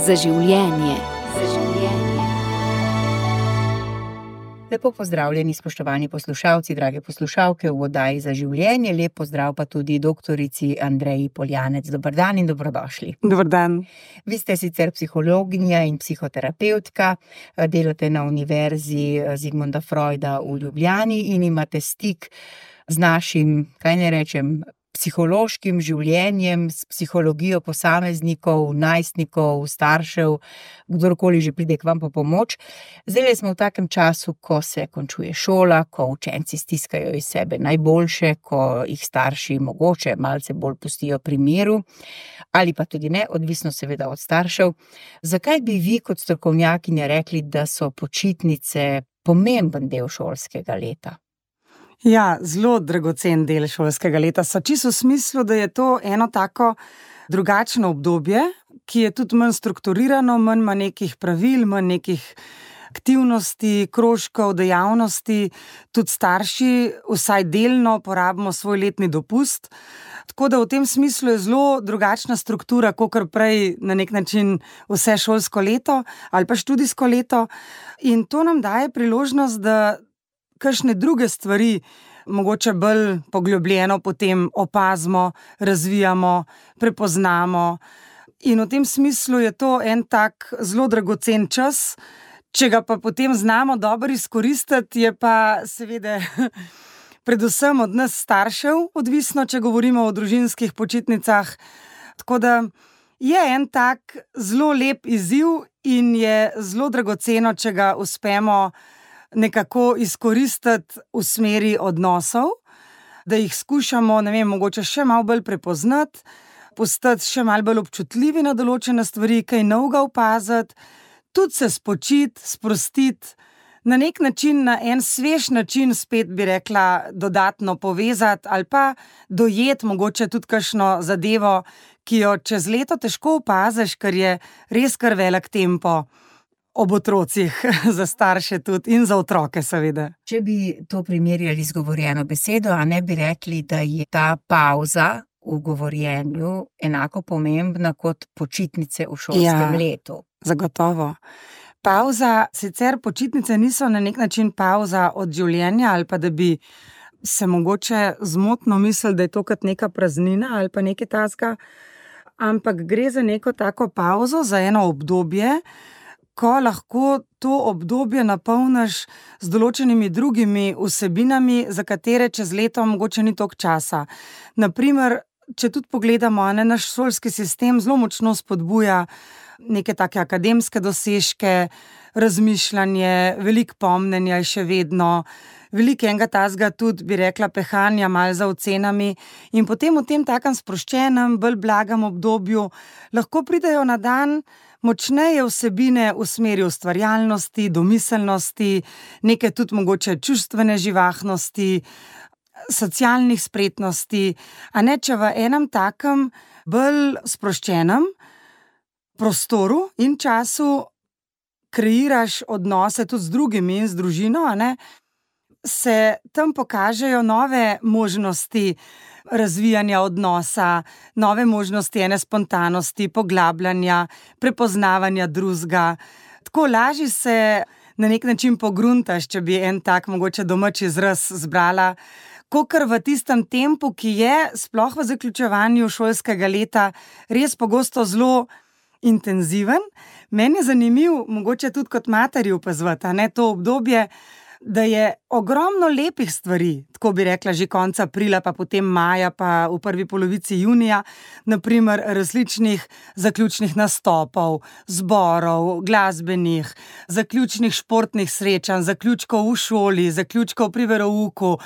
Za življenje. Lepo pozdravljeni, spoštovani poslušalci, drage poslušalke v oddaji Za življenje. Lep pozdrav pa tudi doktorici Andreji Poljanec. Dober dan in dobrodošli. Dober dan. Vi ste sicer psihologinja in psihoterapevtka, delate na Univerzi Zigmunda Freuda v Ljubljani in imate stik z našim, kaj ne rečem, psihološkim življenjem, s psihologijo posameznikov, najstnikov, staršev, kdorkoli že pride k vam po pomoč. Zdaj smo v takem času, ko se končuje šola, ko učenci stiskajo iz sebe najboljše, ko jih starši mogoče malce bolj pustijo pri miru, ali pa tudi ne, odvisno seveda od staršev. Zakaj bi vi kot strokovnjakinja rekli, da so počitnice pomemben del šolskega leta? Ja, zelo dragocen del šolskega leta so, čisto v smislu, da je to eno tako drugačno obdobje, ki je tudi manj strukturirano, manj ima nekih pravil, manj nekih aktivnosti, krožkov, dejavnosti. Tudi starši vsaj delno porabimo svoj letni dopust. Tako da v tem smislu je zelo drugačna struktura, kakor prej na nek način vse šolsko leto ali pa študijsko leto. In to nam daje priložnost, da kakšne druge stvari mogoče bolj poglobljeno potem opazimo, razvijamo, prepoznamo. In v tem smislu je to en tak zelo dragocen čas. Če ga pa potem znamo dobro izkoristiti, je pa seveda predvsem od nas staršev odvisno, če govorimo o družinskih počitnicah. Tako da je en tak zelo lep izziv in je zelo dragoceno, če ga uspemo nekako izkoristiti v smeri odnosov, da jih skušamo, mogoče še malo bolj prepoznati, postati še malo bolj občutljivi na določene stvari, kaj novega opaziti, tudi se spočiti, sprostiti, na nek način, na en svež način spet bi rekla dodatno povezati ali pa dojeti mogoče tudi kakšno zadevo, ki jo čez leto težko opaziš, ker je res kar velik tempo. Ob otrocih, za starše tudi in za otroke seveda. Če bi to primerjali z govorjeno besedo, a ne bi rekli, da je ta pavza v govorjenju enako pomembna kot počitnice v šolskem letu? Zagotovo. Pavza, sicer počitnice niso na nek način pavza od življenja ali pa da bi se mogoče zmotno mislili, da je to kot neka praznina ali pa nekaj takega, ampak gre za neko tako pavzo, za eno obdobje, ko lahko to obdobje napolniš z določenimi drugimi vsebinami, za katere čez leto mogoče ni toliko časa. Naprimer, če tudi pogledamo, naš šolski sistem zelo močno spodbuja neke take akademske dosežke, razmišljanje, veliko pomnenja je še vedno, veliko enega tazga tudi, bi rekla, pehanja malo za ocenami in potem v tem takem sproščenem, bolj blagem obdobju lahko pridejo na dan močneje vsebine v smeri ustvarjalnosti, domiselnosti, neke tudi mogoče čustvene živahnosti, socialnih spretnosti, a ne, če v enem takem bolj sproščenem prostoru in času kreiraš odnose tudi z drugimi in z družino, a ne, se tam pokažejo nove možnosti razvijanja odnosa, nove možnosti ene spontanosti, poglabljanja, prepoznavanja drugega. Tako lažje se na nek način pogruntaš, če bi en tak mogoče domač izraz zbrala, kakor v tistem tempu, ki je sploh v zaključevanju šolskega leta res pogosto zelo intenziven. Meni je zanimiv, mogoče tudi kot materi opazovati, a ne, to obdobje, da je ogromno lepih stvari, tako bi rekla že konec aprila, pa potem maja, pa v prvi polovici junija, naprimer različnih zaključnih nastopov, zborov, glasbenih, zaključnih športnih srečanj, zaključkov v šoli, zaključkov pri verouku,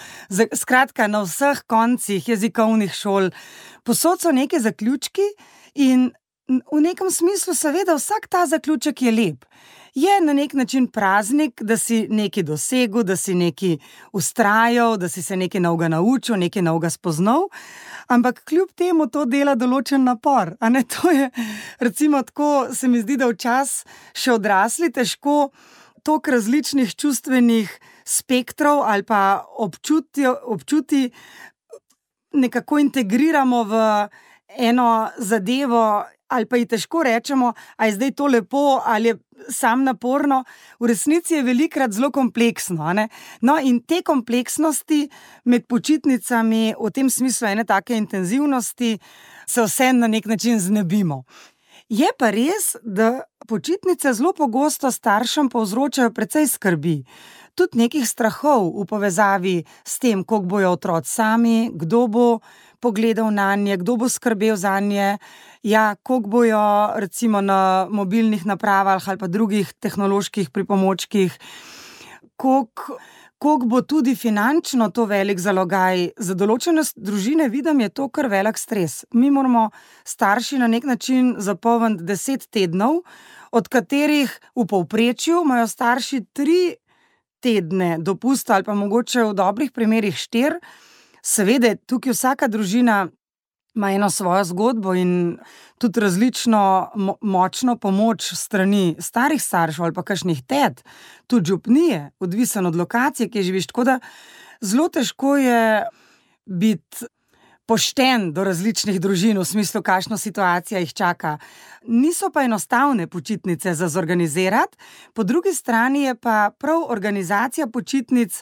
skratka na vseh koncih jezikovnih šol. Povsod so neke zaključki in v nekem smislu seveda vsak ta zaključek je lep. Je na nek način praznik, da si nekaj dosegel, da si nekaj ustrajal, da si se nekaj novega naučil, nekaj novega spoznal, ampak kljub temu to dela določen napor. A ne, to je, recimo tako, se mi zdi, da včasih še odrasli težko toliko različnih čustvenih spektrov ali pa občuti nekako integriramo v eno zadevo ali pa ji težko rečemo, a je zdaj to lepo ali je sam naporno, v resnici je velikokrat zelo kompleksno, ne? No, in te kompleksnosti med počitnicami, v tem smislu ene take intenzivnosti, se vse na nek način znebimo. Je pa res, da počitnice zelo pogosto staršem povzročajo precej skrbi, tudi nekih strahov v povezavi s tem, koliko bojo otroci sami, kdo bo pogledal nanje, kdo bo skrbel zanje, ja, koliko bojo recimo na mobilnih napravah ali pa drugih tehnoloških pripomočkih, koliko bo tudi finančno to velik zalogaj. Za določene družine vidim, je to kar velik stres. Mi moramo starši na nek način zapolniti 10 tednov, od katerih v povprečju imajo starši 3 tedne dopusta ali pa mogoče v dobrih primerih 4. Seveda, tukaj vsaka družina ima eno svojo zgodbo in tudi različno močno pomoč strani starih staršev ali pa kakšnih tet, tudi župnije, odvisen od lokacije, kjer živiš. Tako da zelo težko je biti pošten do različnih družin, v smislu, kakšna situacija jih čaka. Niso pa enostavne počitnice za zorganizirati, po drugi strani je pa prav organizacija počitnic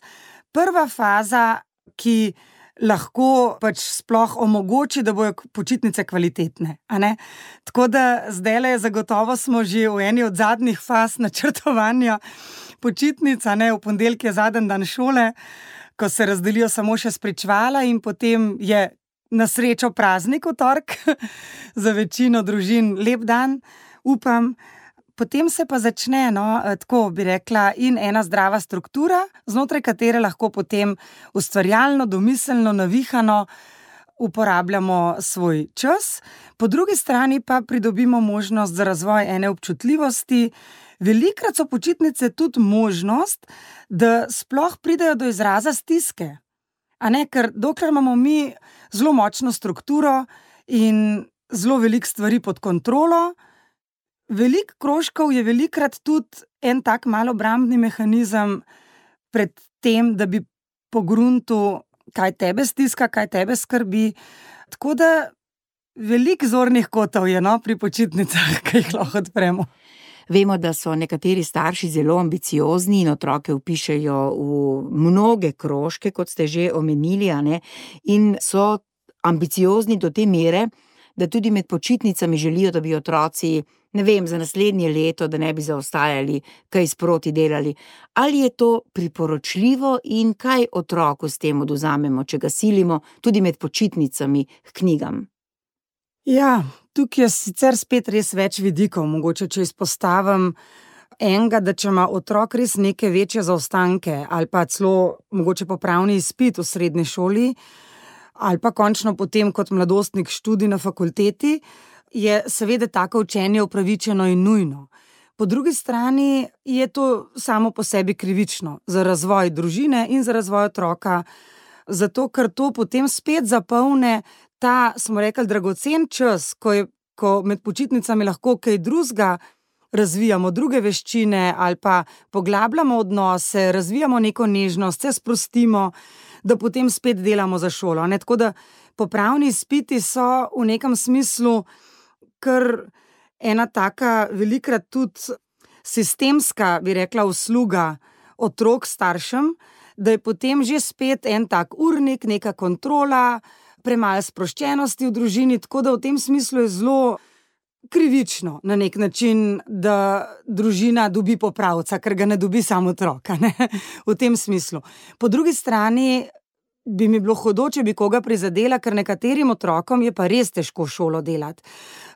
prva faza, ki lahko pač sploh omogoči, da bojo počitnice kvalitetne, a ne? Tako da zdajle zagotovo smo že v eni od zadnjih faz načrtovanja počitnic, a ne? V ponedeljek je zadnji dan šole, ko se razdelijo samo še spričevala in potem je na srečo praznik v torek, za večino družin lep dan, upam. Potem se pa začne, tako bi rekla, in ena zdrava struktura, znotraj katere lahko potem ustvarjalno, domiselno, navihano uporabljamo svoj čas. Po drugi strani pa pridobimo možnost za razvoj ene občutljivosti. Velikokrat so počitnice tudi možnost, da sploh pridejo do izraza stiske. A ne, ker dokler imamo mi zelo močno strukturo in zelo veliko stvari pod kontrolo, veliko krožkov je velikokrat tudi en tak malo obrambni mehanizem pred tem, da bi pogruntil, kaj tebe stiska, kaj tebe skrbi. Tako da veliko zornih kotov je, pri počitnicah, ki jih lahko odpremo. Vemo, da so nekateri starši zelo ambiciozni in otroke vpišejo v mnoge krožke, kot ste že omenili, a ne? In so ambiciozni do te mere, da tudi med počitnicami želijo, da bi otroci, ne vem, za naslednje leto, da ne bi zaostajali, kaj sproti delali. Ali je to priporočljivo in kaj otroku s tem odvzamemo, če ga silimo tudi med počitnicami k knjigam? Ja, tukaj je sicer spet res več vidikov, mogoče če izpostavim enega, da če ima otrok res neke večje zaostanke ali pa celo mogoče popravni izpit v srednji šoli ali pa končno potem kot mladostnik študij na fakulteti, je seveda tako učenje upravičeno in nujno. Po drugi strani je to samo po sebi krivično za razvoj družine in za razvoj otroka, zato ker to potem spet zapolne ta, smo rekli, dragocen čas, ko med počitnicami lahko kaj drugega razvijamo, druge veščine ali pa poglabljamo odnose, razvijamo neko nežnost, se sprostimo, da potem spet delamo za šolo. Ne? Tako da popravni izpiti so v nekem smislu kar ena taka velikokrat tudi sistemska, bi rekla, usluga otrok staršem, da je potem že spet en tak urnik, neka kontrola, premalo sproščenosti v družini, tako da v tem smislu je zelo krivično na nek način, da družina dobi popravca, ker ga ne dobi samo otroka, ne? V tem smislu. Po drugi strani bi mi bilo hudo, če bi koga prizadela, ker nekaterim otrokom je pa res težko šolo delati.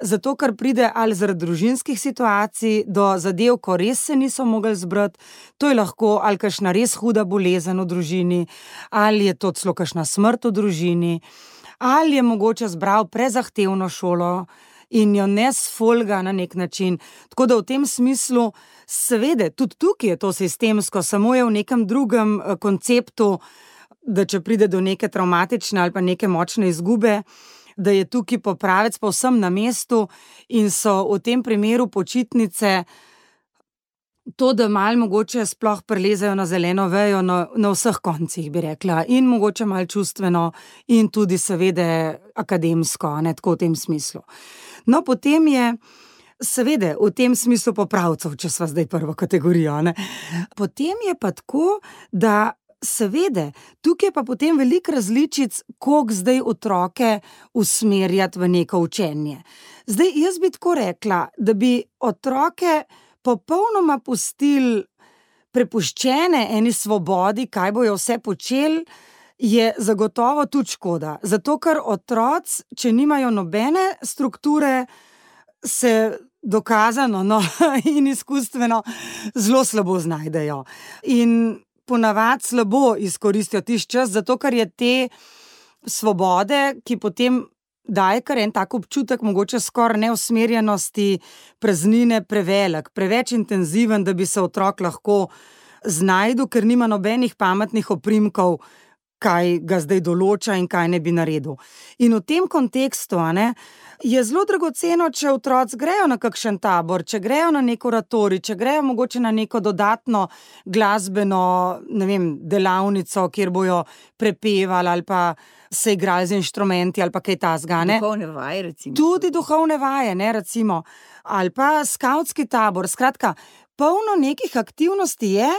Zato, ker pride ali zaradi družinskih situacij do zadev, ko res se niso mogli zbrati, to je lahko ali kakšna res huda bolezen v družini, ali je to celo kakšna smrt v družini, ali je mogoče zbral prezahtevno šolo in jo ne sfolga na nek način. Tako da v tem smislu, seveda, tudi tukaj je to sistemsko, samo je v nekem drugem konceptu, da če pride do neke travmatične ali pa neke močne izgube, da je tukaj popravec povsem na mestu in so v tem primeru počitnice to, da malo mogoče sploh prelezajo na zeleno vejo na vseh koncih, bi rekla, in mogoče malo čustveno in tudi seveda akademsko, ne, tako v tem smislu. No, potem je seveda v tem smislu popravcev, če sva zdaj prvo kategorijo, ne. Potem je pa tako, da seveda, tukaj je pa potem veliko različic, koliko zdaj otroke usmerjati v neko učenje. Zdaj, jaz bi tako rekla, da bi otroke popolnoma pustili prepuščene eni svobodi, kaj bojo vse počeli, je zagotovo tudi škoda. Zato, ker otroci, če nimajo nobene strukture, se dokazano, no, in izkustveno zelo slabo znajdejo. In ponavadi slabo izkoristijo tisti čas, zato ker je te svobode, ki potem daje kar en tak občutek, mogoče skoraj neusmerjenosti, praznine prevelik, preveč intenziven, da bi se otrok lahko znajdel, ker nima nobenih pametnih oprimkov, kaj ga zdaj določa in kaj ne bi naredil. In v tem kontekstu, je zelo dragoceno, če otroci grejo na kakšen tabor, če grejo na nek oratorij, če grejo mogoče na neko dodatno glasbeno, ne vem, delavnico, kjer bojo prepevali ali pa se igrali z inštrumenti ali pa kaj takega, ne. Duhovne vaje, recimo. Tudi duhovne vaje, ne, recimo. Ali pa skavtski tabor. Skratka, polno nekih aktivnosti je,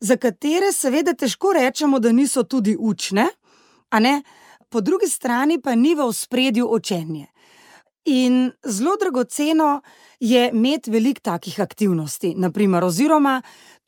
za katere seveda težko rečemo, da niso tudi učne, a ne, po drugi strani pa ni v ospredju učenje. In zelo dragoceno je imeti veliko takih aktivnosti, na primer, oziroma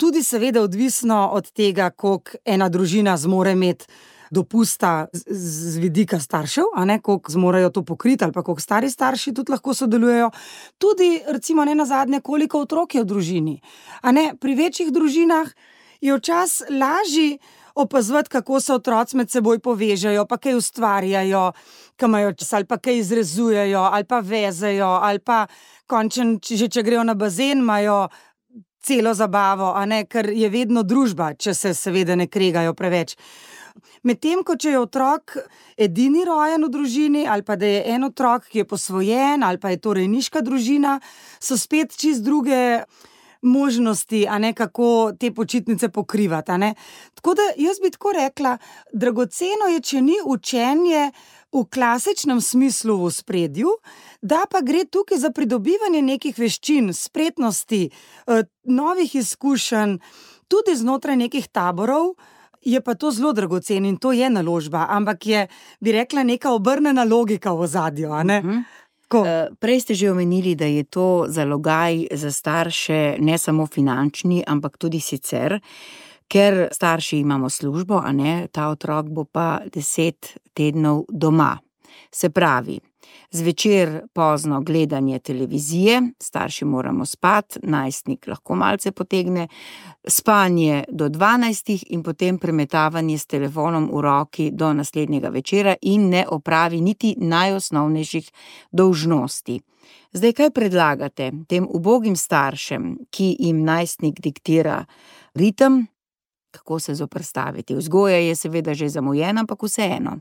tudi seveda odvisno od tega, koliko ena družina zmore imeti dopusta z vidika staršev, a ne, koliko zmorejo to pokriti, ali pa koliko stari starši tudi lahko sodelujejo. Tudi, recimo, nenazadnje, koliko otrok je v družini. A ne, pri večjih družinah je včasih lažje opazovati, kako se otroci med seboj povežejo, pa kaj ustvarjajo, kaj imajo čas, ali pa kaj izrezujejo, ali pa vezejo, ali pa končen, če grejo na bazen, imajo celo zabavo, a ne, ker je vedno družba, če se seveda ne kregajo preveč. Medtem ko če je otrok edini rojen v družini, ali pa da je en otrok, ki je posvojen, ali pa je to rejniška družina, so spet čisto druge možnosti, a ne, kako te počitnice pokrivati, a ne. Tako da jaz bi tako rekla, dragoceno je, če ni učenje v klasičnem smislu v ospredju, da pa gre tukaj za pridobivanje nekih veščin, spretnosti, novih izkušenj, tudi znotraj nekih taborov, je pa to zelo dragoceno in to je naložba, ampak je, bi rekla, neka obrnjena logika v ozadju, a ne. Prej ste že omenili, da je to zalogaj za starše ne samo finančni, ampak tudi sicer, ker starši imamo službo, a ne, ta otrok bo pa 10 tednov doma. Se pravi, zvečer pozno gledanje televizije, starši moramo spati, najstnik lahko malce potegne, spanje do 12 in potem premetavanje s telefonom v roki do naslednjega večera in ne opravi niti najosnovnejših dolžnosti. Zdaj, kaj predlagate tem ubogim staršem, ki jim najstnik diktira ritem, kako se zoperstaviti? Vzgoja je seveda že zamujena, ampak vseeno.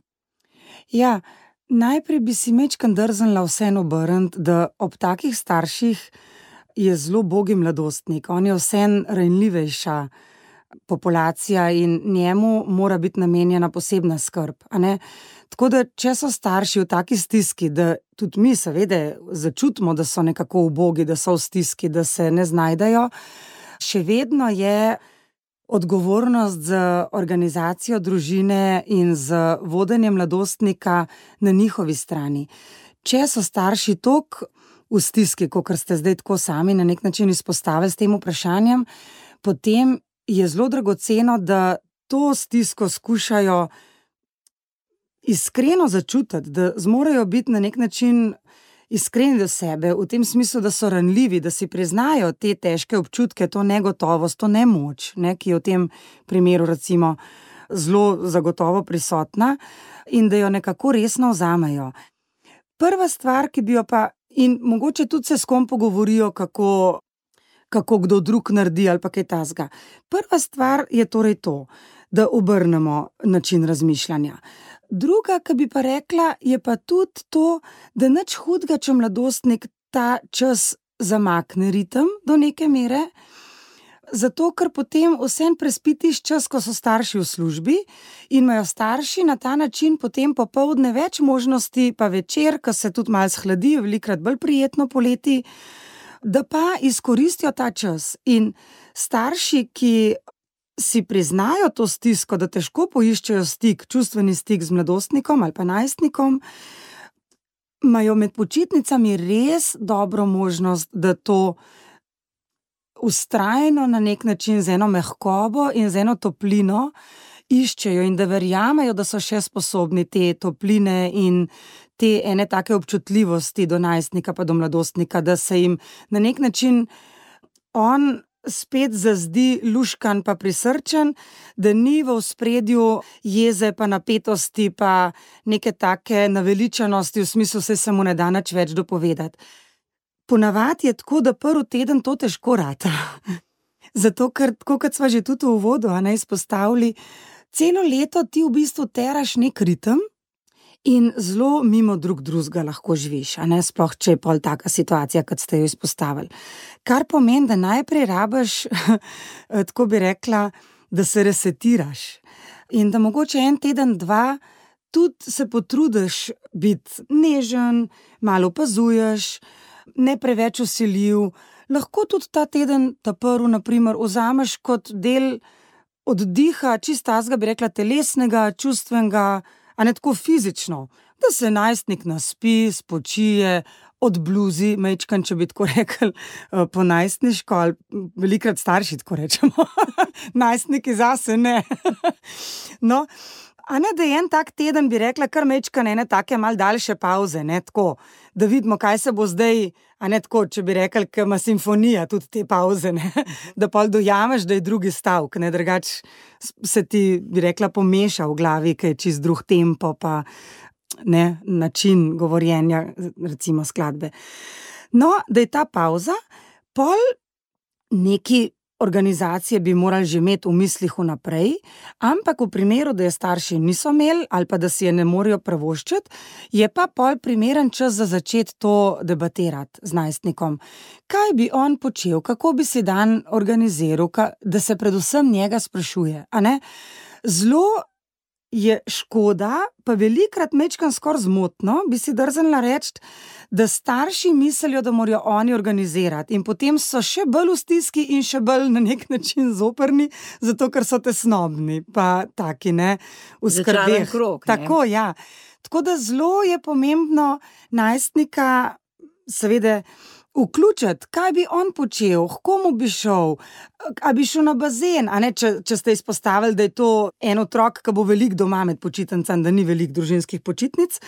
Ja, najprej bi si majčkeno drznila vseeno obrniti, da ob takih starših je zelo ubogi mladostnik. On je vseeno ranljivejša populacija in njemu mora biti namenjena posebna skrb, a ne. Tako da, če so starši v taki stiski, da tudi mi seveda začutimo, da so nekako ubogi, da so v stiski, da se ne znajdejo, še vedno je odgovornost za organizacijo družine in za vodenje mladostnika na njihovi strani. Če so starši toliko v stiski, kakor ste zdaj tako sami na nek način izpostavili s tem vprašanjem, potem je zelo dragoceno, da to stisko skušajo iskreno začutiti, da zmorejo biti na nek način iskreni do sebe, v tem smislu, da so ranljivi, da si priznajo te težke občutke, to negotovost, to nemoč, ne, ki je v tem primeru recimo zelo zagotovo prisotna in da jo nekako resno vzamejo. Prva stvar, ki bi jo pa, in mogoče tudi se s kom pogovorijo, kako kdo drug naredi ali pa kaj takega. Prva stvar je torej to, da obrnemo način razmišljanja. Druga, ki bi pa rekla, je pa tudi to, da nič hudega, če mladostnik ta čas zamakne ritem do neke mere, Zato, ker potem vsem prespitiš čas, ko so starši v službi in imajo starši na ta način potem popoldne več možnosti, pa večer, ko se tudi malo shladi, velikokrat bolj prijetno poleti, da pa izkoristijo ta čas. In starši, ki si priznajo to stisko, da težko poiščejo stik, čustveni stik z mladostnikom ali pa najstnikom, imajo med počitnicami res dobro možnost, da to vztrajno na nek način z eno mehkobo in z eno toplino iščejo in da verjamejo, da so še sposobni te topline in te ene take občutljivosti do najstnika pa do mladostnika, da se jim na nek način on spet zazdi luškan pa prisrčen, da ni v ospredju jeze pa napetosti pa neke take naveličanosti v smislu, se mu ne da nič več dopovedati. Ponavadi je tako, da prvi teden to težko rata. Zato, ker tako kot sva že tudi v uvodu izpostavili, celo leto ti v bistvu teraš nek ritem in zelo mimo drugega lahko živiš, sploh če je pol taka situacija, kot ste jo izpostavili. Kar pomeni, da najprej rabiš, tako bi rekla, da se resetiraš. In da mogoče en teden, dva, tudi se potrudiš biti nežen, malo opazuješ, ne preveč vsiljiv. Lahko tudi ta teden, ta prvi, na primer, vzameš kot del oddiha, čisto tazga, bi rekla, telesnega, čustvenega, a ne tako fizično, da se najstnik naspi, spočije, odbluzi, majčkan, če bi tako rekli, po najstniško, ali velikokrat starši tako rečemo, najstniki zase ne. No, a ne, da je en tak teden, bi rekla, kar majčkan ene take mal daljše pavze, ne, tako, da vidimo, kaj se bo zdaj, a ne tako, če bi rekli, ker ima simfonija tudi te pavze, ne, da pol dojameš, da je drugi stavek, ne, drugače se ti, bi rekla, pomeša v glavi, ker je čist drug tempo, pa ne, način govorjenja, recimo skladbe. No, da je ta pavza, pol neki organizacije bi morali že imeti v mislih vnaprej, ampak v primeru, da je starši niso imeli ali pa da si je ne morejo privoščiti, je pa pol primeren čas za začeti to debatirati z najstnikom. Kaj bi on počel, kako bi si dan organiziral, da se predvsem njega sprašuje, a ne? Zelo je škoda, pa velikokrat majčkeno skoraj zmotno, bi si drznila reči, da starši mislijo, da morajo oni organizirati in potem so še bolj v stiski in še bolj na nek način zoprni, zato ker so tesnobni, pa taki, ne, v skrbeh. Začaran krog, ne. Tako, ja. Tako da zelo je pomembno najstnika seveda vključiti, kaj bi on počel, h komu bi šel, a bi šel na bazen, a ne, če ste izpostavili, da je to en otrok, ki bo veliko doma med počitnicami, da ni veliko družinskih počitnic,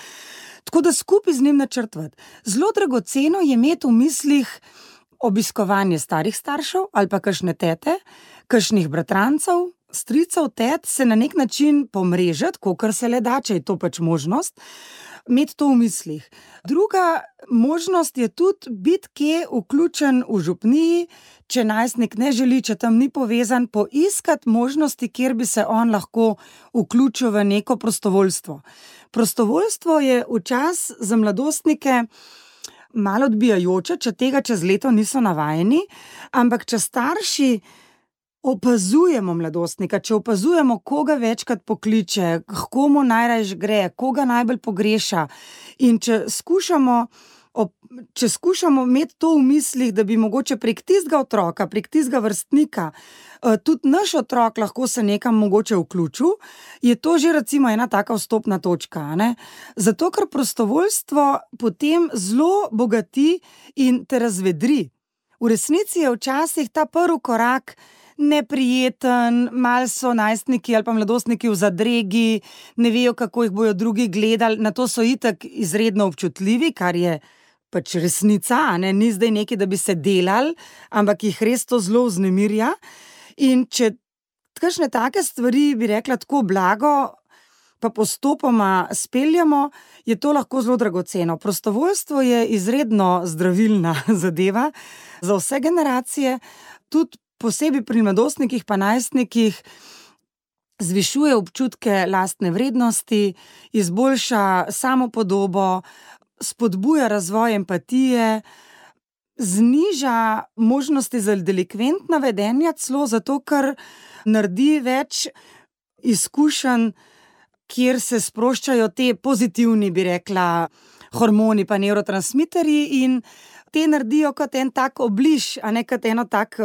tako da skupaj z njim načrtovati. Zelo dragoceno je imeti v mislih obiskovanje starih staršev ali pa kakšne tete, kakšnih bratrancev, stricev, tet, se na nek način pomrežati, kolikor se le da, če je to pač možnost, imeti to v mislih. Druga možnost je tudi biti kje vključen v župniji, če najstnik ne želi, če tam ni povezan, poiskati možnosti, kjer bi se on lahko vključil v neko prostovoljstvo. Prostovoljstvo je včasih za mladostnike malo odbijajoče, če tega čez leto niso navajeni, ampak če starši opazujemo mladostnika, če opazujemo, koga večkrat pokliče, k komu najrajš gre, koga najbolj pogreša, in če skušamo imeti to v mislih, da bi mogoče prek tistega otroka, prek tistega vrstnika, tudi naš otrok lahko se nekam mogoče vključil, je to že recimo ena taka vstopna točka, ne? Zato, ker prostovoljstvo potem zelo bogati in te razvedri. V resnici je včasih ta prvi korak neprijeten, malo so najstniki ali pa mladostniki v zadregi, ne vejo, kako jih bojo drugi gledali, na to so itak izredno občutljivi, kar je pač resnica, ne? Ni zdaj nekaj, da bi se delali, ampak jih res to zelo vznemirja. In če kakšne take stvari, bi rekla, tako blago pa postopoma speljamo, je to lahko zelo dragoceno. Prostovoljstvo je izredno zdravilna zadeva za vse generacije, tudi posebej pri mladostnikih pa najstnikih zvišuje občutke lastne vrednosti, izboljša samopodobo, spodbuja razvoj empatije, zniža možnosti za delikventna vedenja, celo zato, ker naredi več izkušenj, kjer se sproščajo te pozitivni, bi rekla, hormoni pa nevrotransmiterji in te naredijo kot en tak obliž, a ne kot eno tak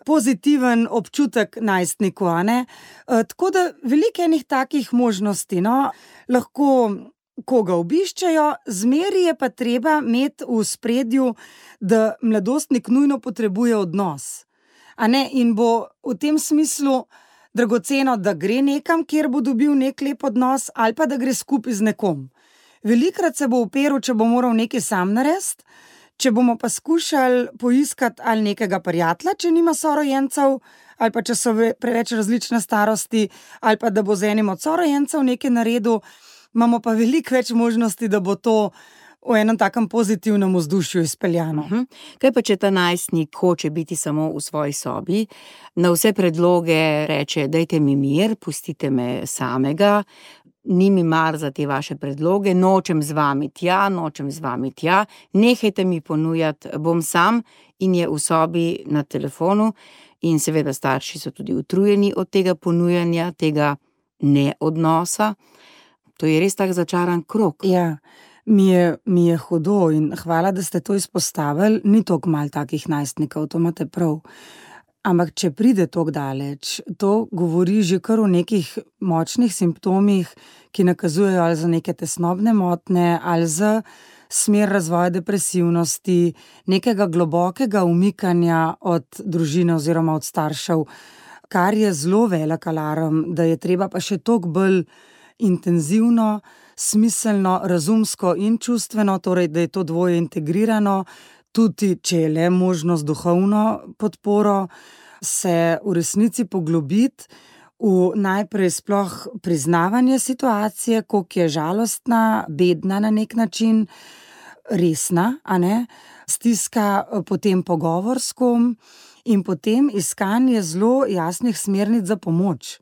pozitiven občutek najstniku, a ne. Tako da veliko enih takih možnosti, no, lahko koga obiščejo, zmeri je pa treba imeti v spredju, da mladostnik nujno potrebuje odnos. A ne, in bo v tem smislu dragoceno, da gre nekam, kjer bo dobil nek lep odnos, ali pa da gre skupaj z nekom. Velikokrat se bo uperil, če bo moral nekaj sam narediti, če bomo pa skušali poiskati ali nekega prijatelja, če nima sorojencev, ali pa če so preveč različne starosti, ali pa da bo z enim od sorojencev nekaj naredil, imamo pa veliko več možnosti, da bo to v enem takem pozitivnem vzdušju izpeljano. Kaj pa, če ta najstnik hoče biti samo v svoji sobi, na vse predloge reče, dajte mi mir, pustite me samega, ni mi mar za te vaše predloge, nočem z vami tja, nehajte mi ponujati, bom sam, in je v sobi na telefonu in seveda starši so tudi utrujeni od tega ponujanja, tega neodnosa. To je res tak začaran krog. Ja, mi je hudo in hvala, da ste to izpostavili. Ni toliko malo takih najstnikov, to imate prav. Ampak če pride toliko daleč, to govori že kar o nekih močnih simptomih, ki nakazujejo ali za neke tesnobne motnje, ali za smer razvoja depresivnosti, nekega globokega umikanja od družine oziroma od staršev, kar je zelo velik alarm, da je treba pa še toliko bolj intenzivno, smiselno, razumsko in čustveno, torej da je to dvoje integrirano, tudi če je le možnost duhovno podporo, se v resnici poglobiti v najprej sploh priznavanje situacije, koliko je žalostna, bedna na nek način, resna, a ne, stiska potem pogovor s kom in potem iskanje zelo jasnih smernic za pomoč.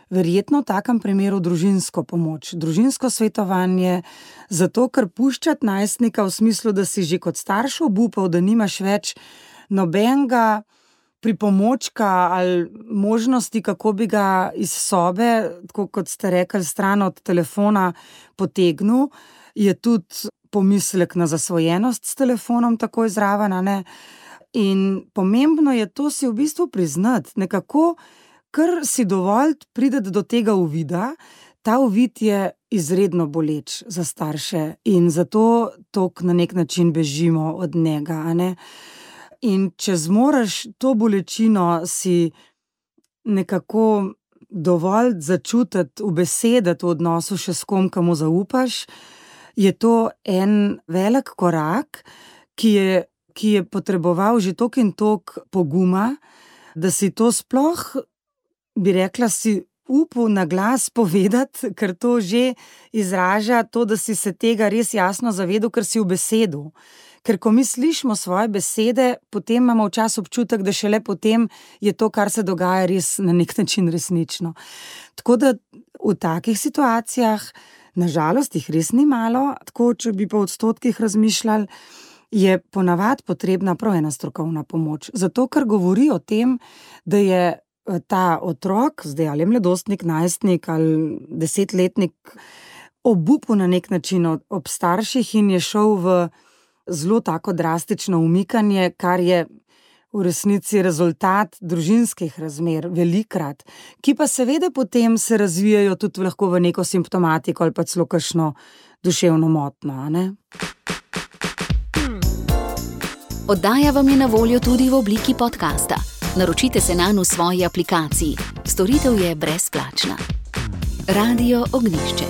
Verjetno v takem primeru družinsko pomoč, družinsko svetovanje, zato ker puščati najstnika v smislu, da si že kot starš obupal, da nimaš več nobenega pripomočka ali možnosti, kako bi ga iz sobe, tako kot ste rekli, stran od telefona potegnil, je tudi pomislek na zasvojenost s telefonom takoj zraven, a ne. In pomembno je to si v bistvu priznati, nekako ker si dovolj prideti do tega uvida, ta uvid je izredno boleč za starše in zato toliko na nek način bežimo od njega, a ne. In če zmoreš to bolečino si nekako dovolj začutiti, ubesediti v odnosu še s kom, komu zaupaš, je to en velik korak, ki je potreboval že toliko in toliko poguma, da si to sploh, bi rekla, si upal na glas povedati, ker to že izraža to, da si se tega res jasno zavedal, ker si ubesedil. Ker ko mi slišimo svoje besede, potem imamo včasih občutek, da šele potem je to, kar se dogaja, res na nek način resnično. Tako da v takih situacijah, na žalost jih res ni malo, tako če bi po odstotkih razmišljali, je ponavadi potrebna prav ena strokovna pomoč. Zato, ker govori o tem, da je ta otrok, zdaj ali mladostnik, najstnik ali 10-letnik, obupal na nek način ob starših in je šel v zelo tako drastično umikanje, kar je v resnici rezultat družinskih razmer, velikrat, ki pa seveda potem se razvijajo tudi lahko v neko simptomatiko ali pa celo kakšno duševno motnjo, a ne? Oddaja vam je na voljo tudi v obliki podcasta. Naročite se nanj v svoji aplikaciji. Storitev je brezplačna. Radio Ognjišče.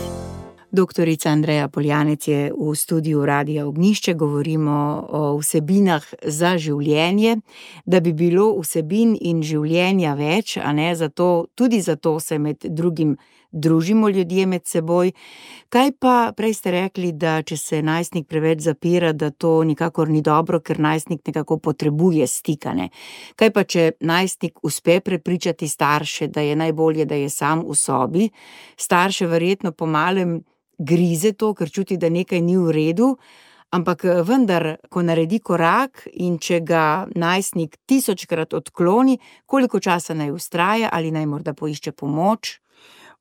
Doktorica Andreja Poljanec je v studiu Radia Ognjišče, govorimo o vsebinah za življenje, da bi bilo vsebin in življenja več, a ne, tudi zato se med drugim družimo ljudje med seboj. Kaj pa, prej ste rekli, da če se najstnik preveč zapira, da to nikakor ni dobro, ker najstnik nekako potrebuje stikane. Kaj pa, če najstnik uspe prepričati starše, da je najbolje, da je sam v sobi, starše verjetno po malem grize to, ker čuti, da nekaj ni v redu, Ampak vendar, ko naredi korak in če ga najstnik 1000-krat odkloni, koliko časa naj vztraja ali naj morda poišče pomoč?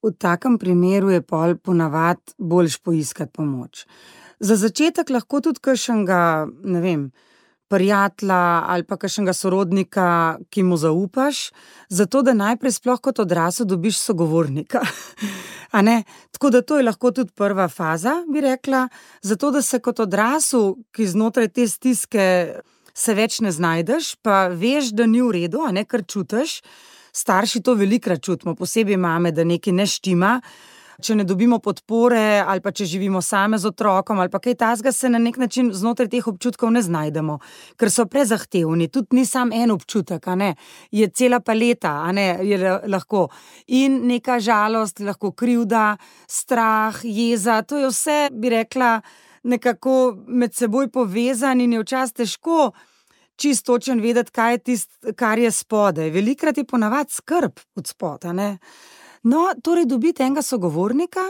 V takem primeru je pol ponavad boljš poiskati pomoč. Za začetek lahko tudi kakšnega, ne vem, prijatelja ali pa kakšnega sorodnika, ki mu zaupaš, zato da najprej sploh kot odrasel dobiš sogovornika. A ne? Tako da to je lahko tudi prva faza, bi rekla, zato da se kot odrasel, ki znotraj te stiske se več ne znajdeš, pa veš, da ni v redu, a ne, kar čutiš. Starši to velikokrat čutimo, posebej mame, da nekaj ne štima. Če ne dobimo podpore ali pa če živimo same z otrokom ali pa kaj takega, se na nek način znotraj teh občutkov ne znajdemo, ker so prezahtevni. Tudi ni sam en občutek, a ne, je cela paleta, a ne, je lahko in neka žalost, lahko krivda, strah, jeza, to je vse, bi rekla, nekako med seboj povezan in je včasih težko čisto točno vedeti, kaj je tisto, kar je spodaj. Velikokrat je ponavadi skrb od spodaj, a ne. No, torej dobiti enega sogovornika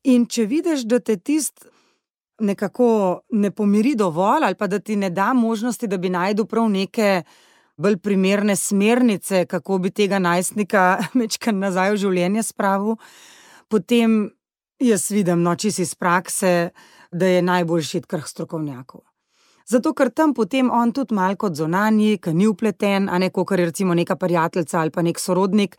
in če vidiš, da te tisto nekako ne pomiri dovolj ali pa da ti ne da možnosti, da bi našel prav neke bolj primerne smernice, kako bi tega najstnika majčkeno nazaj v življenje spravil, potem jaz vidim, čisto iz prakse, da je najboljše iti kar k strokovnjaku. Zato, ker tam potem on tudi malo kot zunanji, ki ni vpleten, a ne, kakor je recimo neka prijateljica ali pa nek sorodnik,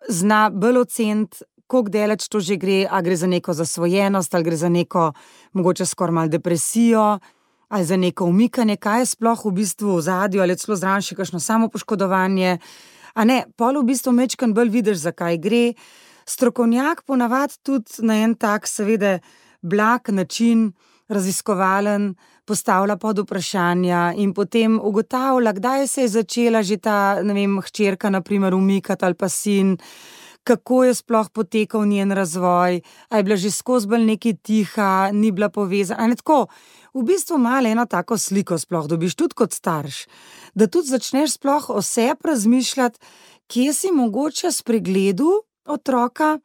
zna bolj oceniti, koliko daleč to že gre, a gre za neko zasvojenost, ali gre za neko mogoče skoraj malo depresijo, ali za neko umikanje, kaj je sploh v bistvu v ozadju, ali je celo zraven še kakšno samopoškodovanje. A ne, pol v bistvu majčkeno bolj vidiš, za kaj gre. Strokovnjak ponavadi tudi na en tak, seveda, blag način, raziskovalen, postavlja pod vprašanja in potem ugotavlja, kdaj se je začela že ta, ne vem, hčerka na primer umikati ali pa sin, kako je sploh potekal njen razvoj, a je bila že skozi bolj nekaj tiha, ni bila povezana, a ne tako. V bistvu malo eno tako sliko sploh dobiš, tudi kot starš, da tudi začneš sploh o sebi razmišljati, kje si mogoče spregledal otroka,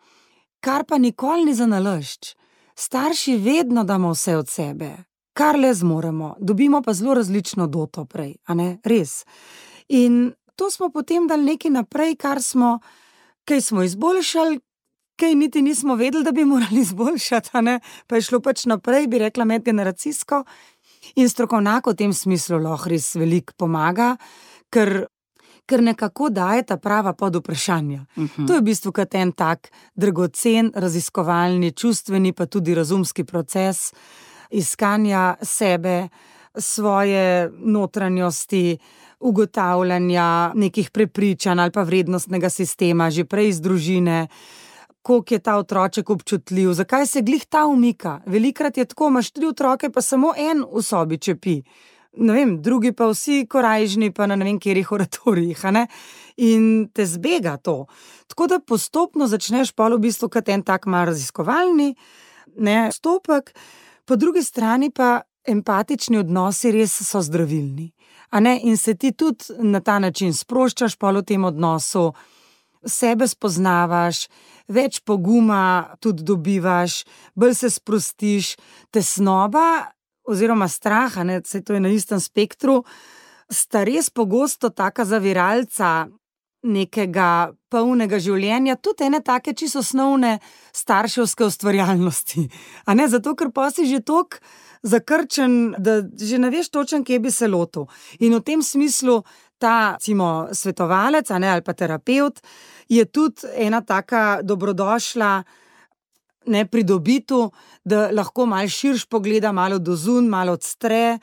kar pa nikoli ni zanalašč. Starši vedno damo vse od sebe, kar le zmoremo, dobimo pa zelo različno doto prej, a ne, res. In to smo potem dali nekaj naprej, kaj smo izboljšali, kaj niti nismo vedeli, da bi morali izboljšati, a ne, pa je šlo pač naprej, bi rekla, medgeneracijsko. In strokovnjak v tem smislu lahko res veliko pomaga, ker nekako daje ta prava pod vprašanja. To je v bistvu kot en tak dragocen, raziskovalni, čustveni, pa tudi razumski proces iskanja sebe, svoje notranjosti, ugotavljanja nekih prepričanj ali pa vrednostnega sistema, že prej iz družine, koliko je ta otroček občutljiv, zakaj se glih ta umika. Velikokrat je tako, imaš 3 otroke, pa samo en v sobi čepi. Ne vem, drugi pa vsi korajžni, pa na ne vem katerih oratorijih, a ne, in te zbega to. Tako da postopno začneš pol v bistvu kot en tak malo raziskovalni, ne, stopek, po drugi strani pa empatični odnosi res so zdravilni, a ne, in se ti tudi na ta način sproščaš pol v tem odnosu, sebe spoznavaš, več poguma tudi dobivaš, bolj se sprostiš, tesnoba oziroma strah, a ne, saj to je na istem spektru, sta res pogosto taka zaviralca nekega polnega življenja, tudi ene take čisto osnovne starševske ustvarjalnosti. A ne, zato ker pa si že toliko zakrčen, da že ne veš točno, kje bi se lotil. In v tem smislu ta, recimo, svetovalec, a ne, ali pa terapevt, je tudi ena taka dobrodošla, ne, pridobitev, da lahko malo širš pogleda, malo dozun, malo odstre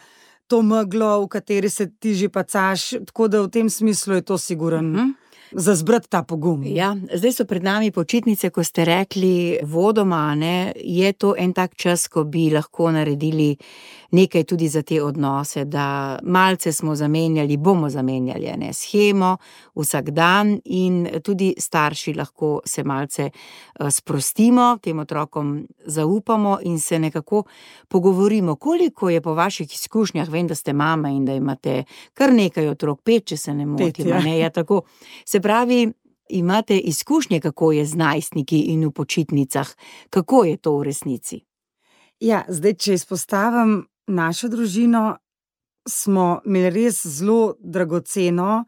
to meglo, v kateri se ti že pacaš, tako da v tem smislu je to sigurno za zbrati ta pogum. Ja, zdaj so pred nami počitnice, ko ste rekli vodoma, ne, je to en tak čas, ko bi lahko naredili nekaj tudi za te odnose, da malce smo zamenjali, bomo zamenjali, ne, shemo vsak dan in tudi starši lahko se malce sprostimo, tem otrokom zaupamo in se nekako pogovorimo. Koliko je po vaših izkušnjah, vem, da ste mama in da imate kar nekaj otrok, 5, če se ne motim, ne, ja, tako. Se pravi, imate izkušnje, kako je z najstniki in v počitnicah, kako je to v resnici? Ja, zdaj, če izpostavim našo družino smo imeli res zelo dragoceno,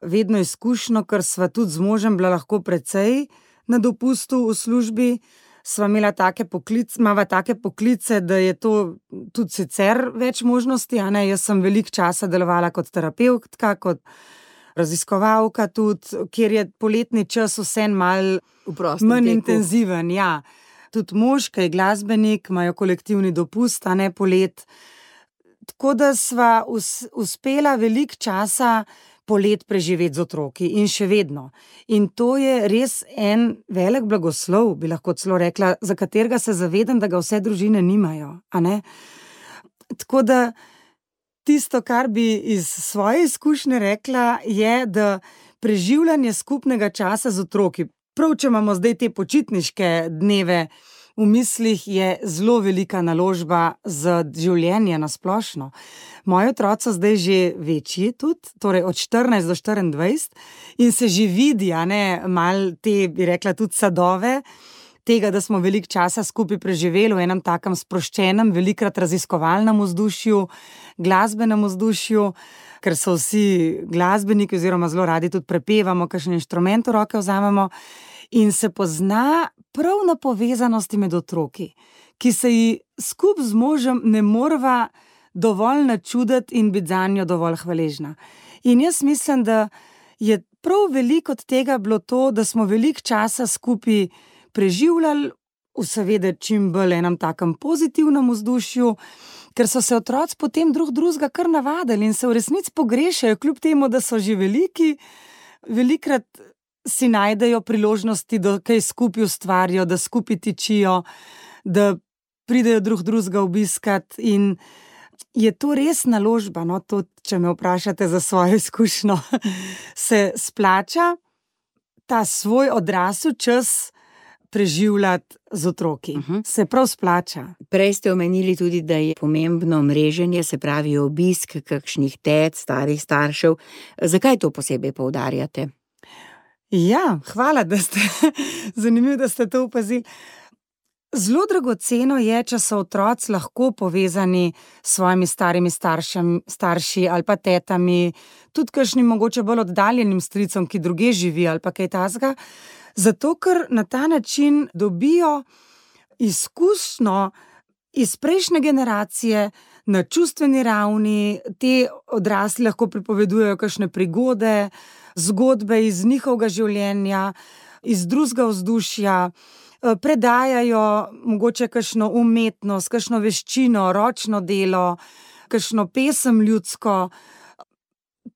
vedno izkušnjo, ker sva tudi z možem bila lahko precej na dopustu v službi. Sva imela imava take poklice, da je to tudi sicer več možnosti, a ne, jaz sem veliko časa delovala kot terapevtka, kot raziskovalka tudi, kjer je poletni čas vseeno malo manj intenziven, ja. Tudi mož, ki je glasbenik, imajo kolektivni dopust, a ne polet. Tako da sva uspela veliko časa polet preživeti z otroki in še vedno. In to je res en velik blagoslov, bi lahko celo rekla, za katerega se zavedam, da ga vse družine nimajo, a ne. Tako da tisto, kar bi iz svoje izkušnje rekla, je, da preživljanje skupnega časa z otroki, prav če imamo zdaj te počitniške dneve v mislih, je zelo velika naložba za življenje na splošno. Moji otroci so zdaj že večji tudi, torej od 14 do 24 in se že vidi, a ne, malo te, bi rekla, tudi sadove tega, da smo veliko časa skupaj preživeli v enem takem sproščenem, velikrat raziskovalnem vzdušju, glasbenem vzdušju, ker so vsi glasbeniki oziroma zelo radi tudi prepevamo, kakšen inštrument v roke vzamemo. In se pozna prav na povezanosti med otroki, ki se ji skupaj z možem ne moreva dovolj načuditi in biti zanjo dovolj hvaležna. In jaz mislim, da je prav veliko od tega bilo to, da smo veliko časa skupaj preživljali, v seveda čim bolj enem takem pozitivnem vzdušju, ker so se otroci potem drug drugega kar navadili in se v resnici pogrešajo, kljub temu, da so že veliki, velikrat si najdejo priložnosti, da kaj skupaj ustvarijo, da skupaj tičijo, da pridejo drug drugega obiskat in je to res naložba, no, to, če me vprašate za svojo izkušnjo, se splača ta svoj odrasel čas preživljati z otroki. Se prav splača. Prej ste omenili tudi, da je pomembno mreženje, se pravi obisk kakšnih tet, starih staršev. Zakaj to posebej poudarjate? Ja, hvala, da ste, zanimivo, da ste to opazili. Zelo dragoceno je, če so otroci lahko povezani s svojimi starimi starši ali pa tetami, tudi kakšnim mogoče bolj oddaljenim stricom, ki drugje živi ali pa kaj takega, zato ker na ta način dobijo izkušnjo iz prejšnje generacije na čustveni ravni, te odrasli lahko pripovedujejo kakšne prigode, zgodbe iz njihovega življenja, iz drugega vzdušja, predajajo mogoče kakšno umetnost, kakšno veščino, ročno delo, kakšno pesem ljudsko.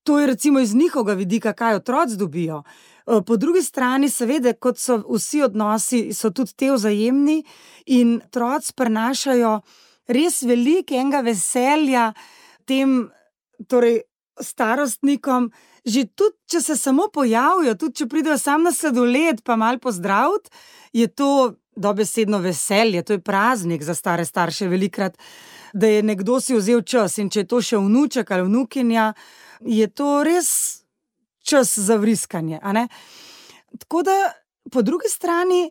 To je recimo iz njihovega vidika, kaj otroci dobijo. Po drugi strani seveda, kot so vsi odnosi, so tudi te vzajemni in otroci prinašajo res veliko enega veselja tem, torej starostnikom, že tudi, če se samo pojavijo, tudi če pridejo sam na sladoled pa malo pozdraviti, je to dobesedno veselje, to je praznik za stare starše velikrat, da je nekdo si vzel čas in če je to še vnuček ali vnukinja, je to res čas za vriskanje, a ne? Tako da, po drugi strani,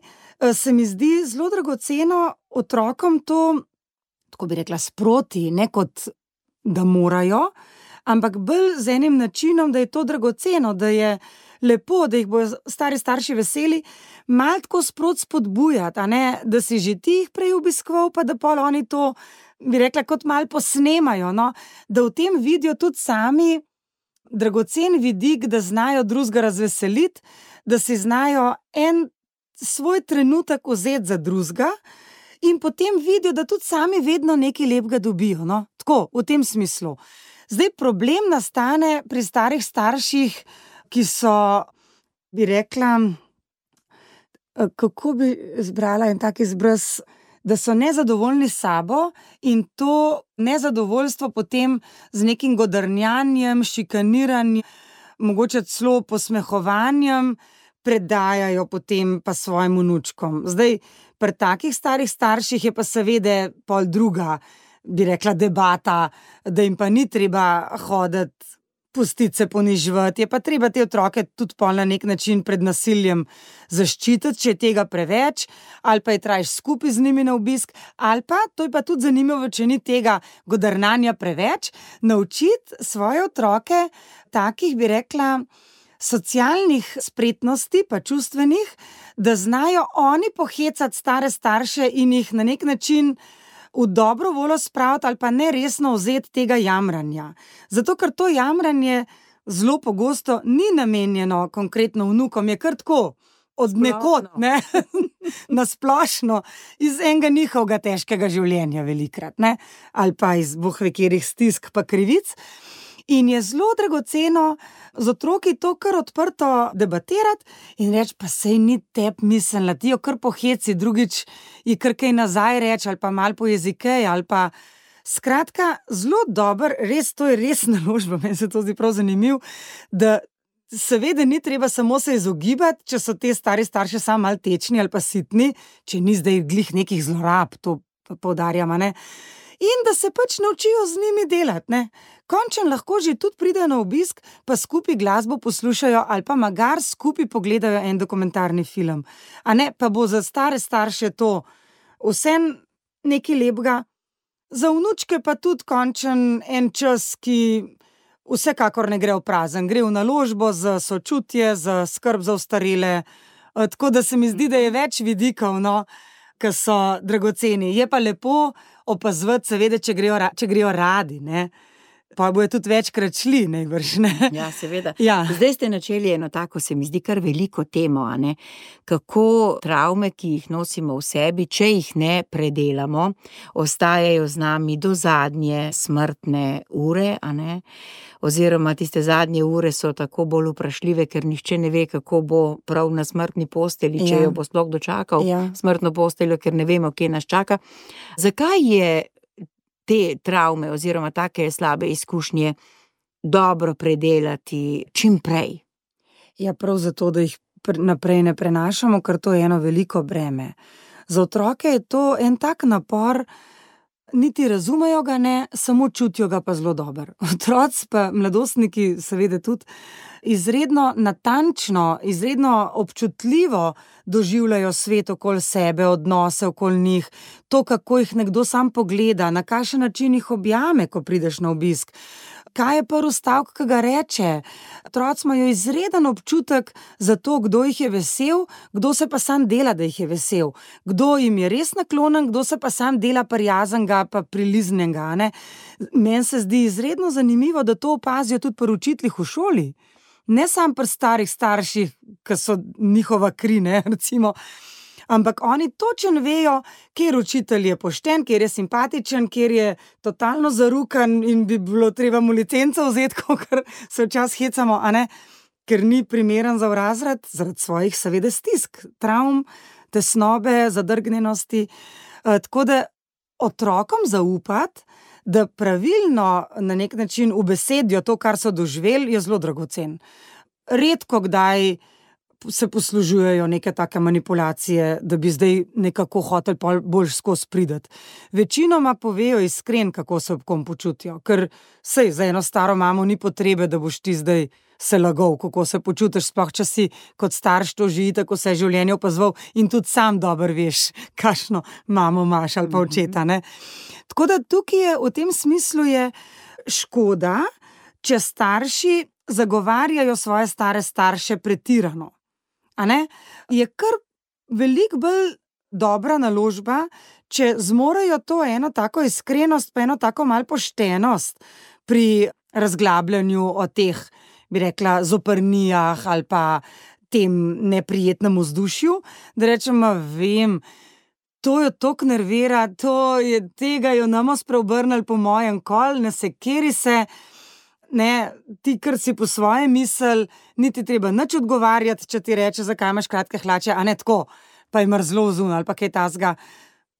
se mi zdi zelo dragoceno otrokom to, tako bi rekla, sproti, ne kot da morajo, ampak bolj z enim načinom, da je to dragoceno, da je lepo, da jih bojo stari starši veseli, malo tako sproti spodbujati, a ne, da si že ti jih prej obiskoval, pa da pol oni to, bi rekla, kot malo posnemajo, no, da v tem vidijo tudi sami dragocen vidik, da znajo drugega razveseliti, da si znajo en svoj trenutek vzeti za drugega in potem vidijo, da tudi sami vedno nekaj lepega dobijo, no, tako, v tem smislu. Zdaj, problem nastane pri starih starših, ki so, bi rekla, kako bi izbrala en tak izraz, da so nezadovoljni s sabo in to nezadovoljstvo potem z nekim godrnjanjem, šikaniranjem, mogoče celo posmehovanjem predajajo potem pa svojim vnučkom. Zdaj, pri takih starih starših je pa seveda pol druga, bi rekla, debata, da jim pa ni treba hoditi pustiti se poniževati, je pa treba te otroke tudi pol na nek način pred nasiljem zaščititi, če je tega preveč, ali pa je trajš skupaj z njimi na obisk, ali pa, to je pa tudi zanimivo, če ni tega godrnanja preveč, naučiti svoje otroke takih, bi rekla, socialnih spretnosti, pa čustvenih, da znajo oni pohecati stare starše in jih na nek način v dobro voljo spraviti ali pa ne resno vzeti tega jamranja. Zato, ker to jamranje zelo pogosto ni namenjeno konkretno vnukom, je kar tako od nekod, ne, na splošno, iz enega njihovega težkega življenja velikrat, ne, ali pa iz bohvekerih stisk pa krivic. In je zelo dragoceno z otroki to kar odprto debatirati in reči, pa sej ni tebi mislila, ti jo kar poheci, drugič ji kar kaj nazaj reči ali pa malo po jezikej ali pa skratka, zelo dober, res, to je res naložba, meni se to zdi prav zanimiv, da seveda ni treba samo se izogibati, če so te stari starši samo malo tečni ali pa sitni, če ni zdaj glih nekih zlorab, to poudarjamo, ne. In da se pač naučijo z njimi delati, ne. Končno lahko že tudi pridejo na obisk, pa skupaj glasbo poslušajo ali pa magar skupaj pogledajo en dokumentarni film. A ne, pa bo za stare starše to vseeno nekaj lepega, za vnučke pa tudi končen en čas, ki vsekakor ne gre v prazen, gre v naložbo za sočutje, za skrb za ostarele, tako da se mi zdi, da je več vidikov, no, ki so dragoceni. Je pa lepo opazovati, seveda, če grejo radi, ne. Pa bojo tudi večkrat šli, najbrž, ne. Ja, seveda. Ja. Zdaj ste načeli eno tako, se mi zdi, kar veliko temo, a ne. Kako travme, ki jih nosimo v sebi, če jih ne predelamo, ostajajo z nami do zadnje smrtne ure, a ne. Oziroma tiste zadnje ure so tako bolj vprašljive, ker nihče ne ve, kako bo prav na smrtni postelji, če jo bo sploh dočakal, smrtno posteljo, ker ne vemo, kje nas čaka. Zakaj je te travme oziroma take slabe izkušnje dobro predelati čim prej? Ja, prav zato, da jih naprej ne prenašamo, ker to je eno veliko breme. Za otroke je to en tak napor, niti razumejo ga ne, samo čutijo ga pa zelo dobro. Otroci pa mladostniki seveda tudi izredno natančno, izredno občutljivo doživljajo svet okoli sebe, odnose okoli njih, to, kako jih nekdo sam pogleda, na kakšen način jih objame, ko prideš na obisk. Kaj je prvi stavek, ki ga reče? Otroci imajo izreden občutek za to, kdo jih je vesel, kdo se pa sam dela, da jih je vesel. Kdo jim je res naklonjen, kdo se pa sam dela prijaznega pa priliznega, ne. Meni se zdi izredno zanimivo, da to opazijo tudi pri učiteljih v šoli. Ne samo pri starih starših, ki so njihova kri, ne, recimo, ampak oni točno vejo, kjer učitelj je pošten, kjer je simpatičen, kjer je totalno zarukan in bi bilo treba mu licenco vzeti, kakor se včasih hecamo, a ne, ker ni primeren za v razred, zaradi svojih seveda stisk, travm, tesnobe, zadrgnjenosti. Tako da otrokom zaupati, da pravilno na nek način ubesedijo to, kar so doživeli, je zelo dragocen. Redko kdaj se poslužujejo neke take manipulacije, da bi zdaj nekako hoteli bolj skozi prideti. Večinoma povejo iskren, kako se ob kom počutijo, ker sej za eno staro mamo ni potrebe, da boš ti zdaj se lagal, kako se počutiš, sploh če si kot starš to že tako vse življenje opazoval in tudi sam dobro veš, kakšno mamo imaš ali pa očeta, ne. Tako da tukaj je, v tem smislu je škoda, če starši zagovarjajo svoje stare starše pretirano. A ne? Je kar veliko bolj dobra naložba, če zmorejo to eno tako iskrenost, pa eno tako malo poštenost pri razglabljanju o teh, bi rekla, zoprnijah ali pa tem neprijetnem vzdušju, da rečemo, vem, to jo toliko nervira, tega jo namo spreobrnili po mojem kol, ne sekeri se, ne, ti, kar si po svoje misel, niti treba nič odgovarjati, če ti reče, zakaj imaš kratke hlače, a ne tako, pa je mrzlo zunaj ali pa kaj tasga.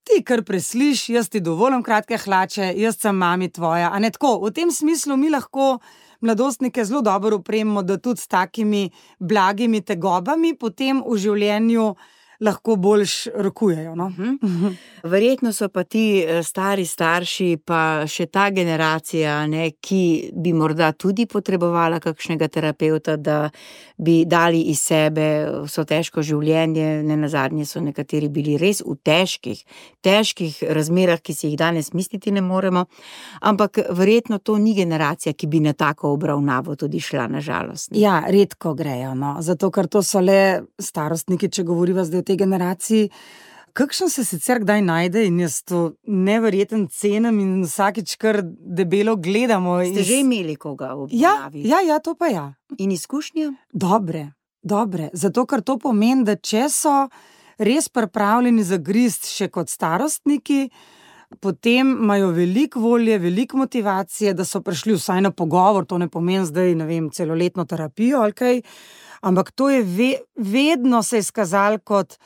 Ti kar presliš, jaz ti dovolim kratke hlače, jaz sem mami tvoja, a ne tako. V tem smislu mi lahko mladostnike zelo dobro opremimo, da tudi s takimi blagimi tegobami potem v življenju lahko boljš rokujejo. No? Verjetno so pa ti stari starši, pa še ta generacija, ne, ki bi morda tudi potrebovala kakšnega terapevta, da bi dali iz sebe vso težko življenje. Nenazadnje so nekateri bili res v težkih razmerah, ki si jih danes misliti ne moremo, ampak verjetno to ni generacija, ki bi na tako obravnavo tudi šla, na žalost. Ja, redko grejo, no, zato ker to so le starostniki, če govoriva zdaj o tej generaciji. Kakšen se sicer kdaj najde in jaz to neverjeten cenim in vsakič kar debelo gledamo. Ste že imeli koga v obravnavi? Ja, to pa ja. In izkušnje? Dobre, zato ker to pomeni, da če so res pripravljeni zagristi še kot starostniki, potem imajo veliko volje, veliko motivacije, da so prišli vsaj na pogovor, to ne pomeni zdaj, ne vem, celoletno terapijo ali kaj, ampak to je vedno se izkazalo kot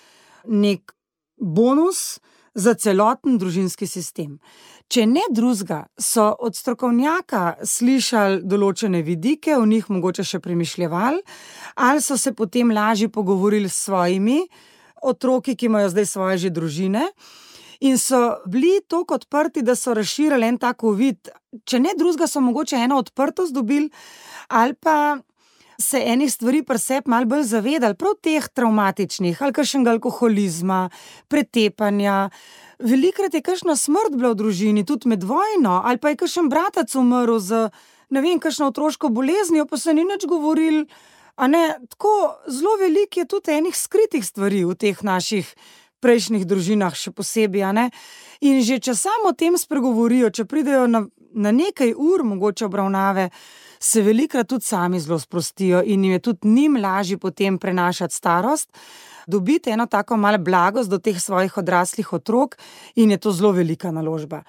nek bonus za celoten družinski sistem. Če ne drugega, so od strokovnjaka slišali določene vidike, v njih mogoče še premišljevali, ali so se potem lažje pogovorili s svojimi otroki, ki imajo zdaj svoje že družine, in so bili toliko odprti, da so razširili en tak uvid. Če ne drugega, so mogoče eno odprtost dobili, ali pa se enih stvari pri sebi malo bolj zavedali, prav teh travmatičnih, ali kakšnega alkoholizma, pretepanja. Velikokrat je kakšna smrt bila v družini, tudi med vojno, ali pa je kakšen bratec umrl z, ne vem, kakšno otroško boleznijo, pa se ni nič govorili. A ne, tako zelo veliko je tudi enih skritih stvari v teh naših prejšnjih družinah, še posebej, a ne. In že če samo o tem spregovorijo, če pridejo na nekaj ur mogoče obravnave, se velikokrat tudi sami zelo sprostijo in jim je tudi njim lažje potem prenašati starost, dobiti eno tako malo blagost do teh svojih odraslih otrok in je to zelo velika naložba.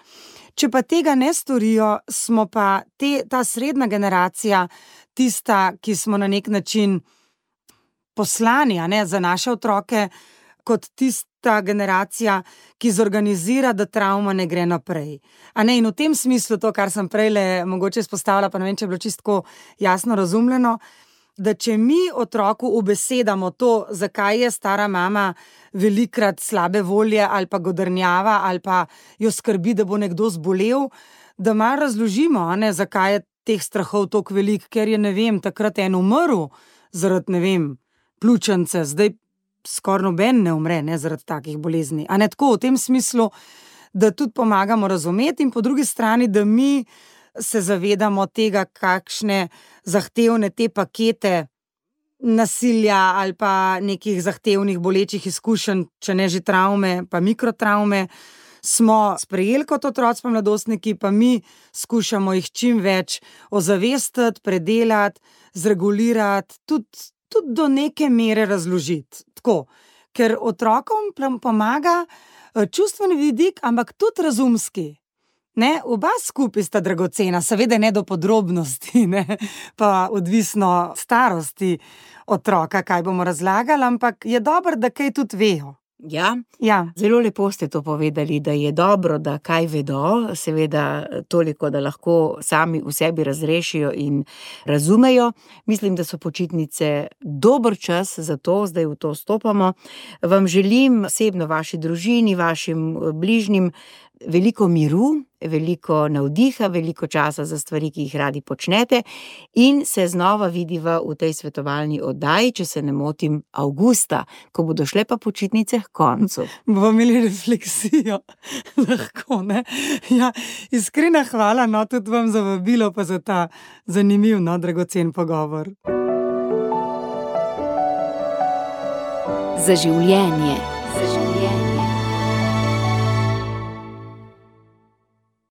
Če pa tega ne storijo, smo pa ta srednja generacija tista, ki smo na nek način poslani, a ne, za naše otroke, kot tista generacija, ki zorganizira, da travma ne gre naprej. A ne, in v tem smislu to, kar sem prejle mogoče izpostavila, pa ne vem, če je bilo čisto jasno razumljeno, da če mi otroku ubesedamo to, zakaj je stara mama velikokrat slabe volje ali pa godrnjava ali pa jo skrbi, da bo nekdo zbolel, da malo razložimo, a ne, zakaj je teh strahov toliko veliko, ker je, ne vem, takrat en umrl zaradi, ne vem, pljučnice, zdaj skoraj noben ne umre, ne, zaradi takih bolezni. A ne, tako v tem smislu, da tudi pomagamo razumeti in po drugi strani, da mi se zavedamo tega, kakšne zahtevne te pakete nasilja ali pa nekih zahtevnih bolečih izkušenj, če ne že travme, pa mikrotravme, smo sprejeli kot otroci pa mladostniki, pa mi skušamo jih čim več ozavestiti, predelati, zregulirati, tudi do neke mere razložiti. Tako, ker otrokom pomaga čustveni vidik, ampak tudi razumski. Ne, oba skupaj sta dragocena, seveda ne do podrobnosti, ne, pa odvisno starosti otroka, kaj bomo razlagali, ampak je dobro, da kaj tudi vejo. Ja, zelo lepo ste to povedali, da je dobro, da kaj vedo, seveda toliko, da lahko sami v sebi razrešijo in razumejo. Mislim, da so počitnice dober čas za to, zdaj v to stopamo. Vam želim osebno, vaši družini, vašim bližnjim veliko miru, veliko navdiha, veliko časa za stvari, ki jih radi počnete, in se znova vidiva v tej svetovalni oddaji, če se ne motim, avgusta, ko bodo šle pa počitnice h koncu. Bomo imeli refleksijo, lahko, ne? Ja, iskrena hvala, no, tudi vam za vabilo, pa za ta zanimiv, no, dragocen pogovor. Za življenje.